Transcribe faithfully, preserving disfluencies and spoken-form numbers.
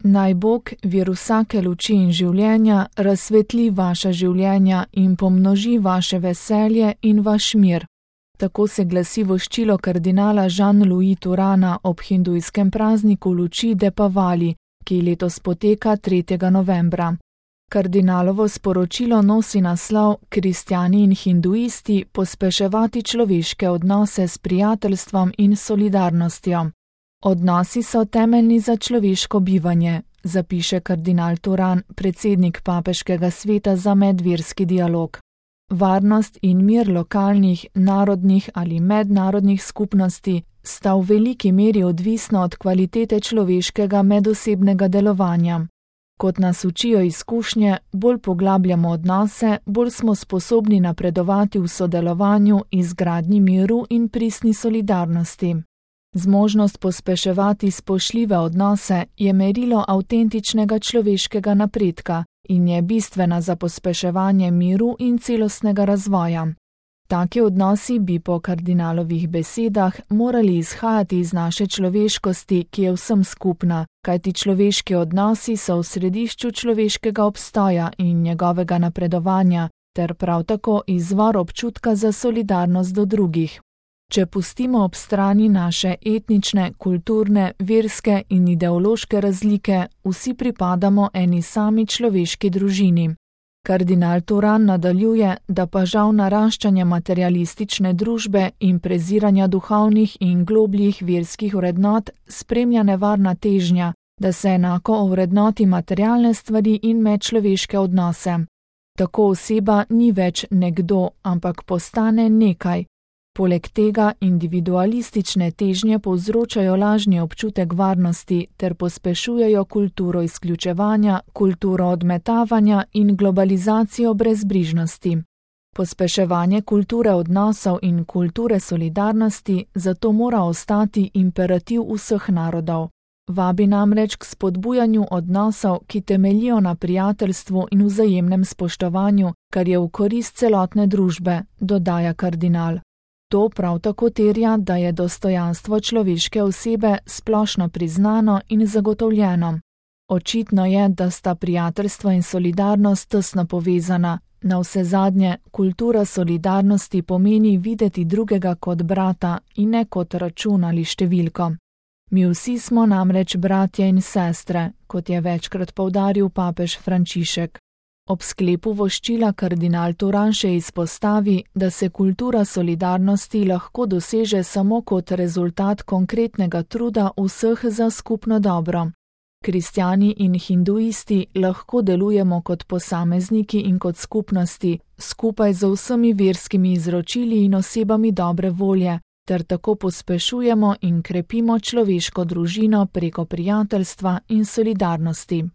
Naj Bog, vir vsake luči in življenja, razsvetli vaša življenja in pomnoži vaše veselje in vaš mir. Tako se glasi voščilo kardinala Jean-Louis Turana ob hindujskem prazniku luči Depavali, ki letos poteka tretjega novembra. Kardinalovo sporočilo nosi naslov Kristjani in hinduisti pospeševati človeške odnose s prijateljstvom in solidarnostjo. Odnosi so temeljni za človeško bivanje, zapiše kardinal Turan, predsednik Papeškega sveta za medverski dialog. Varnost in mir lokalnih, narodnih ali mednarodnih skupnosti sta v veliki meri odvisna od kvalitete človeškega medosebnega delovanja. Kot nas učijo izkušnje, bolj poglabljamo odnose, bolj smo sposobni napredovati v sodelovanju, izgradnji miru in pristni solidarnosti. Zmožnost pospeševati spoštljive odnose je merilo avtentičnega človeškega napredka in je bistvena za pospeševanje miru in celostnega razvoja. Taki odnosi bi po kardinalovih besedah morali izhajati iz naše človeškosti, ki je vsem skupna, kajti človeški odnosi so v središču človeškega obstoja in njegovega napredovanja, ter prav tako izvor občutka za solidarnost do drugih. Če pustimo ob strani naše etnične, kulturne, verske in ideološke razlike, vsi pripadamo eni sami človeški družini. Kardinal Turan nadaljuje, da pa žal naraščanje materialistične družbe in preziranja duhovnih in globljih verskih vrednot spremlja nevarna težnja, da se enako ovrednoti materialne stvari in medčloveške odnose. Tako oseba ni več nekdo, ampak postane nekaj. Poleg tega individualistične težnje povzročajo lažni občutek varnosti ter pospešujejo kulturo izključevanja, kulturo odmetavanja in globalizacijo brezbrižnosti. Pospeševanje kulture odnosov in kulture solidarnosti zato mora ostati imperativ vseh narodov. Vabi namreč k spodbujanju odnosov, ki temeljijo na prijateljstvu in vzajemnem spoštovanju, kar je v korist celotne družbe, dodaja kardinal. To prav tako terja, da je dostojanstvo človeške osebe splošno priznano in zagotovljeno. Očitno je, da sta prijateljstvo in solidarnost tesno povezana. Navsezadnje, kultura solidarnosti pomeni videti drugega kot brata in ne kot račun ali številko. Mi vsi smo namreč bratje in sestre, kot je večkrat poudaril papež Frančišek. Ob sklepu voščila kardinal Turan še izpostavi, da se kultura solidarnosti lahko doseže samo kot rezultat konkretnega truda vseh za skupno dobro. Kristjani in hinduisti lahko delujemo kot posamezniki in kot skupnosti, skupaj z vsemi verskimi izročili in osebami dobre volje, ter tako pospešujemo in krepimo človeško družino preko prijateljstva in solidarnosti.